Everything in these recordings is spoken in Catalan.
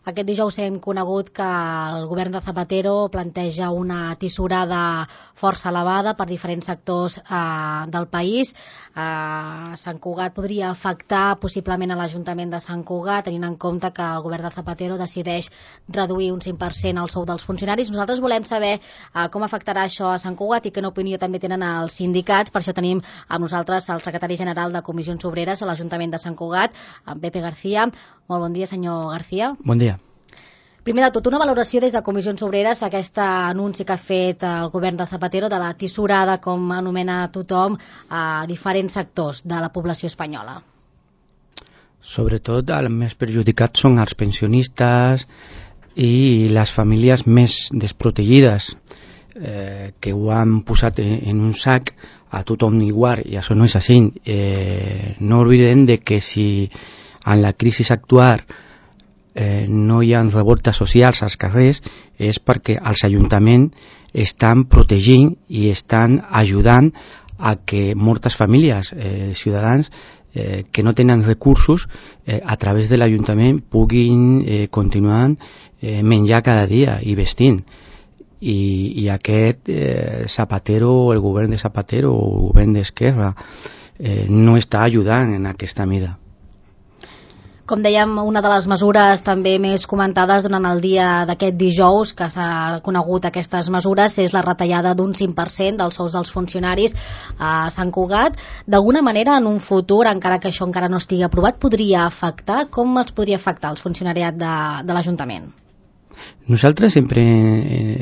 Aquest dijous hem conegut que el govern de Zapatero planteja una tisorada força elevada per diferents sectors del país. Sant Cugat podria afectar possiblement a l'Ajuntament de Sant Cugat, tenint en compte que el govern de Zapatero decideix reduir un 5% el sou dels funcionaris. Nosaltres volem saber com afectarà això a Sant Cugat i quina opinió també tenen els sindicats. Per això tenim amb nosaltres el secretari general de Comissions Obreres a l'Ajuntament de Sant Cugat, en Pepe García. Molt bon dia, senyor García. Bon dia. Primer de tot, una valoració des de Comissions Obreres a aquest anunci que ha fet el govern de Zapatero de la tisorada, com anomena tothom, a diferents sectors de la població espanyola. Sobretot els més perjudicats són els pensionistes i les famílies més desprotegides, que ho han posat en un sac a tothom igual, i això no és així. No oblidem de que si en la crisi actual no hi ha revoltes socials als carrers és perquè els ajuntaments estan protegint i estan ajudant a que moltes famílies, ciutadans que no tenen recursos, a través de l'Ajuntament puguin continuar menjar cada dia i vestint. I aquest Zapatero, el govern de Zapatero o el govern d'Esquerra no està ajudant en aquesta mida. Com dèiem, una de les mesures també més comentades durant el dia d'aquest dijous, que s'ha conegut aquestes mesures, és la retallada d'un 5% dels sous dels funcionaris a Sant Cugat. D'alguna manera, en un futur, encara que això encara no estigui aprovat, podria afectar? Com els podria afectar el funcionariat de l'Ajuntament? Nosaltres sempre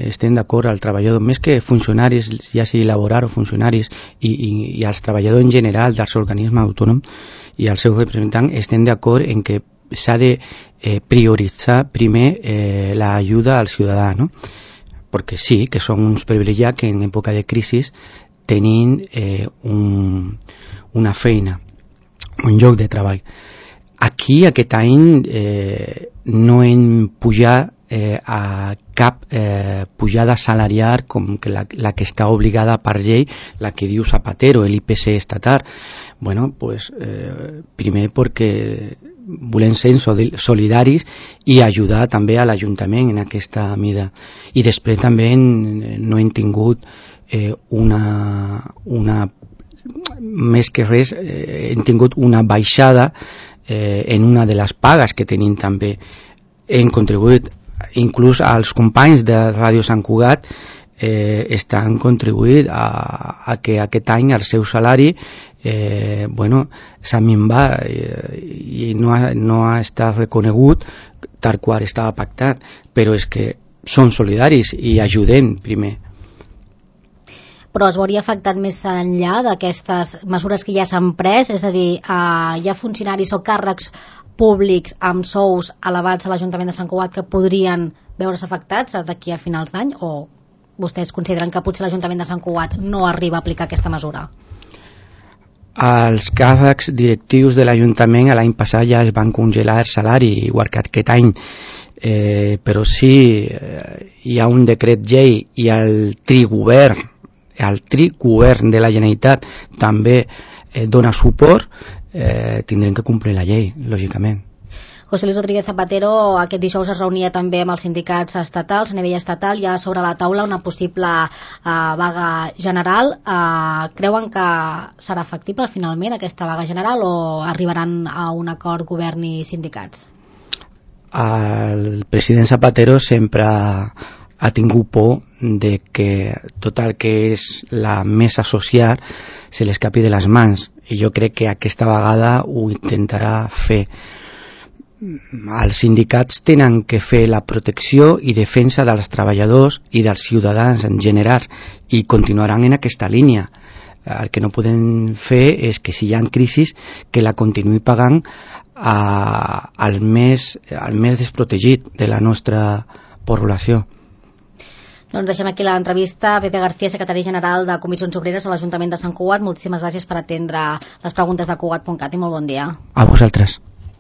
estem d'acord al treballador, més que funcionaris, ja sigui laboral o funcionaris, i als treballadors en general dels organismes autònoms i als seus representants, estem d'acord en que s'ha de prioritzar primer l'ajuda al ciutadà, no? Perquè sí, que són uns privilegiats que en època de crisi tenim una feina, un lloc de treball. Aquí, aquest any, no hem pujat a cap pujada salarial com que la que està obligada per llei, la que diu Zapatero, l'IPC estatal. Bueno, pues primer perquè volem ser solidaris i ajudar també a l'Ajuntament en aquesta mida. I després també no hem tingut més que res, hem tingut una baixada en una de les pagues que tenim també. Hem contribuït, inclús els companys de Ràdio Sant Cugat estan contribuït a que aquest any el seu salari s'ha minvat i no ha estat reconegut tal qual estava pactat, però és que són solidaris i ajudem primer. Però es veuria afectat més enllà d'aquestes mesures que ja s'han pres? És a dir, hi ha funcionaris o càrrecs públics amb sous elevats a l'Ajuntament de Sant Cugat que podrien veure's afectats d'aquí a finals d'any, o vostès consideren que potser l'Ajuntament de Sant Cugat no arriba a aplicar aquesta mesura? Els càrrecs directius de l'Ajuntament l'any passat ja es van congelar el salari, igual que aquest any, però sí hi ha un decret llei i el trigovern de la Generalitat també dona suport, tindrem que complir la llei, lògicament. José Luis Rodríguez Zapatero aquest dijous es reunia també amb els sindicats estatals. A nivell estatal hi ha sobre la taula una possible vaga general. Creuen que serà factible finalment aquesta vaga general o arribaran a un acord govern i sindicats? El president Zapatero sempre ha tingut por de que tot el que és la mesa social se l'escapi de les mans, i jo crec que aquesta vegada ho intentarà fer. Els sindicats tenen que fer la protecció i defensa dels treballadors i dels ciutadans en general, i continuaran en aquesta línia. El que no podem fer és que si hi ha crisis que la continuï pagant al més desprotegit de la nostra població. Doncs deixem aquí l'entrevista. Pepe García, secretari general de Comissions Obreres a l'Ajuntament de Sant Cugat. Moltíssimes gràcies per atendre les preguntes de Cugat.cat i molt bon dia. A vosaltres.